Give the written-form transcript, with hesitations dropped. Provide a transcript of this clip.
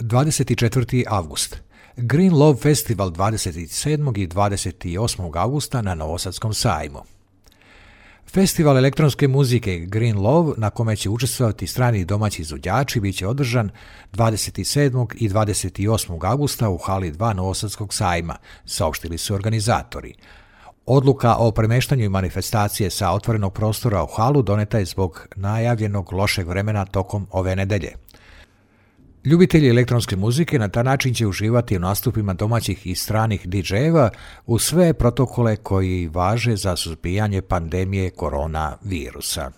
24. avgust. Green Love Festival 27. i 28. augusta na Novosadskom sajmu. Festival elektronske muzike Green Love, na kome će učestvovati strani i domaći izvođači, bit će održan 27. i 28. augusta u hali 2 Novosadskog sajma, saopštili su organizatori. Odluka o premeštanju manifestacije sa otvorenog prostora u halu doneta je zbog najavljenog lošeg vremena tokom ove nedelje. Ljubitelji elektronske muzike na taj način će uživati u nastupima domaćih i stranih DJ-eva uz sve protokole koji važe za suzbijanje pandemije koronavirusa.